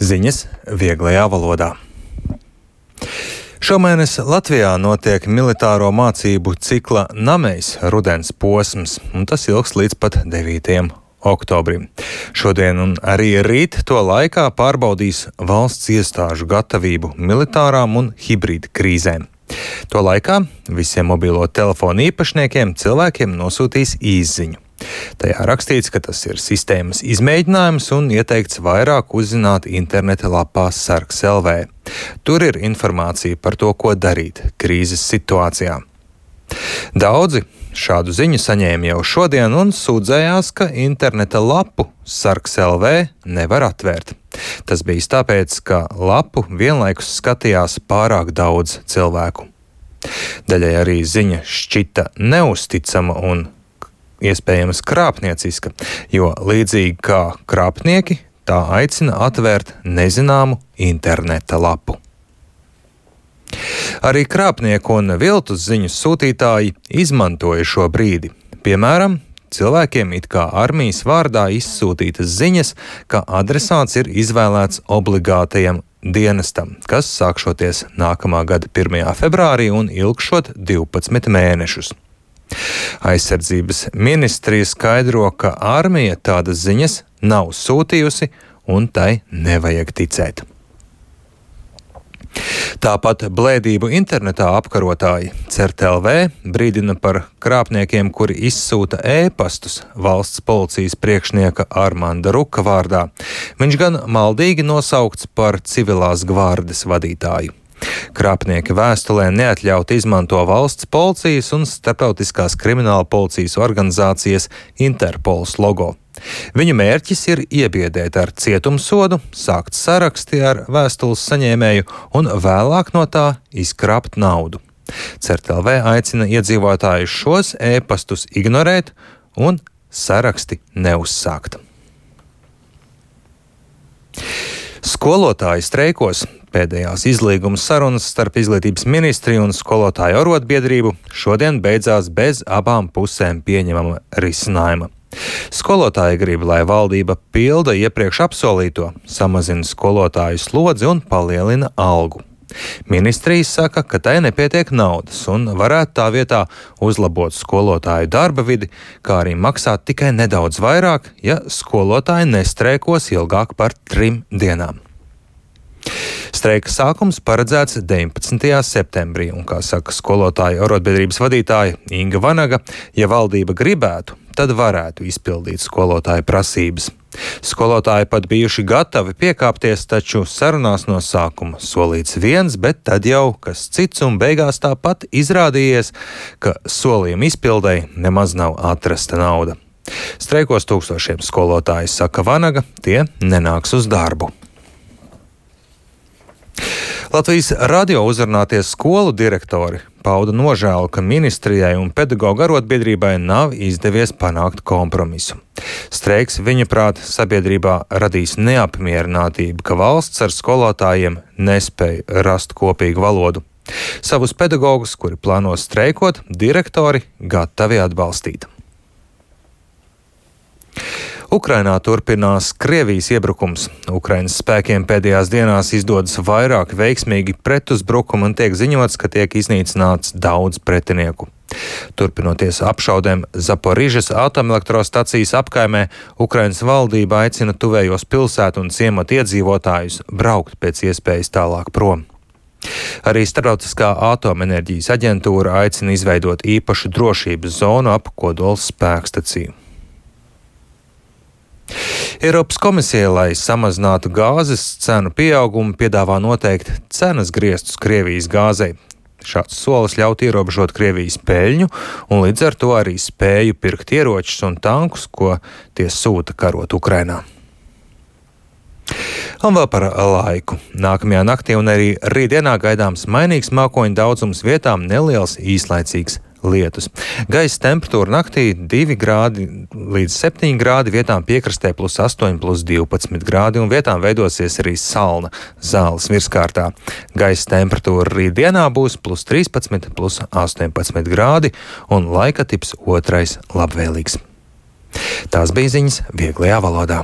Ziņas vieglajā valodā. Šomēnes Latvijā notiek militāro mācību cikla Namejs rudens posms, un tas ilgs līdz pat 9. oktobrim. Šodien un arī rīt to laikā pārbaudīs valsts iestāžu gatavību militārām un hibrīda krīzēm. To laikā visiem mobilo telefonu īpašniekiem cilvēkiem nosūtīs īsziņu. Tajā rakstīts, ka tas ir sistēmas izmēģinājums un ieteikts vairāk uzzināt interneta lapā Sargs LV. Tur ir informācija par to, ko darīt krīzes situācijā. Daudzi šādu ziņu saņēma jau šodien un sūdzējās, ka interneta lapu Sargs LV nevar atvērt. Tas bijis tāpēc, ka lapu vienlaikus skatījās pārāk daudz cilvēku. Daļai arī ziņa šķita neusticama un iespējams krāpnieciska, jo līdzīgi kā krāpnieki, tā aicina atvērt nezināmu interneta lapu. Arī krāpnieku un viltus ziņu sūtītāji izmantoja šo brīdi. Piemēram, cilvēkiem it kā armijas vārdā izsūtītas ziņas, ka adresāts ir izvēlēts obligātajam dienestam, kas sākšoties nākamā gada 1. februārī un ilgšot 12 mēnešus. Aizsardzības ministrija skaidro, ka armija tādas ziņas nav sūtījusi un tai nevajag ticēt. Tāpat blēdību internetā apkarotāji CERT.LV brīdina par krāpniekiem, kuri izsūta ēpastus valsts policijas priekšnieka Armanda Ruka vārdā. Viņš gan maldīgi nosaukts par civilās gvardes vadītāju. Krāpnieki vēstulē neatļauti izmanto valsts policijas un starptautiskās krimināla policijas organizācijas Interpols logo. Viņu mērķis ir iebiedēt ar cietumsodu, sākt saraksti ar vēstules saņēmēju un vēlāk no tā izkrāpt naudu. CERT.LV aicina iedzīvotājus šos ēpastus ignorēt un saraksti neuzsākt. Skolotāji streikos. Pēdējās izlīguma sarunas starp izglītības ministriju un skolotāju arotbiedrību šodien beidzās bez abām pusēm pieņemama risinājuma. Skolotāji grib, lai valdība pilda iepriekš apsolīto, samazina skolotāju slodzi un palielina algu. Ministrija saka, ka tai nepietiek naudas un varētu tā vietā uzlabot skolotāju darba vidi, kā arī maksāt tikai nedaudz vairāk, ja skolotāji nestreikos ilgāk par 3 dienām. Streika sākums paredzēts 19. septembrī, un, kā saka skolotāju arotbiedrības vadītāja Inga Vanaga, ja valdība gribētu, tad varētu izpildīt skolotāju prasības. Skolotāji pat bijuši gatavi piekāpties, taču sarunās no sākuma solīts viens, bet tad jau kas cits, un beigās tāpat izrādījies, ka solījuma izpildēji nemaz nav atrasta nauda. Streikos tūkstošiem skolotāji, saka Vanaga, tie nenāks uz darbu. Latvijas radio uzrunātie skolu direktori pauda nožēlu, ka ministrijai un pedagoģu arotbiedrībai nav izdevies panākt kompromisu. Streiks, viņuprāt, sabiedrībā radīs neapmierinātību, ka valsts ar skolotājiem nespēja rast kopīgu valodu. Savus pedagogus, kuri plāno streikot, direktori gatavi atbalstīt. Ukrainā turpinās Krievijas iebrukums. Ukrainas spēkiem pēdējās dienās izdodas vairāk veiksmīgi pretuzbrukumi un tiek ziņots, ka tiek iznīcināts daudz pretinieku. Turpinoties apšaudēm Zaporižas atomelektrostacijas apkaimē, Ukrainas valdība aicina tuvējos pilsētu un ciematu iedzīvotājus braukt pēc iespējas tālāk prom. Arī Starptautiskā atomenerģijas aģentūra aicina izveidot īpašu drošības zonu ap kodola spēkstaciju. Eiropas komisija, lai samazinātu gāzes cenu pieaugumu, piedāvā noteikt cenas griestus Krievijas gāzei. Šāds solis ļaut ierobežot Krievijas peļņu un līdz ar to arī spēju pirkt ieročus un tankus, ko tie sūta karot Ukrainā. Un vēl par laiku. Nākamajā naktī un arī rītdienā gaidāms mainīgs mākoņu daudzums, vietām neliels īslaicīgs lietus. Gaisa temperatūra naktī 2 grādi līdz 7 grādi, vietām piekrastē +8, +12 grādi un vietām veidosies arī salna zāles virskārtā. Gaisa temperatūra rītdienā būs +13, +18 grādi un laika tips otrais labvēlīgs. Tās bija ziņas vieglajā valodā.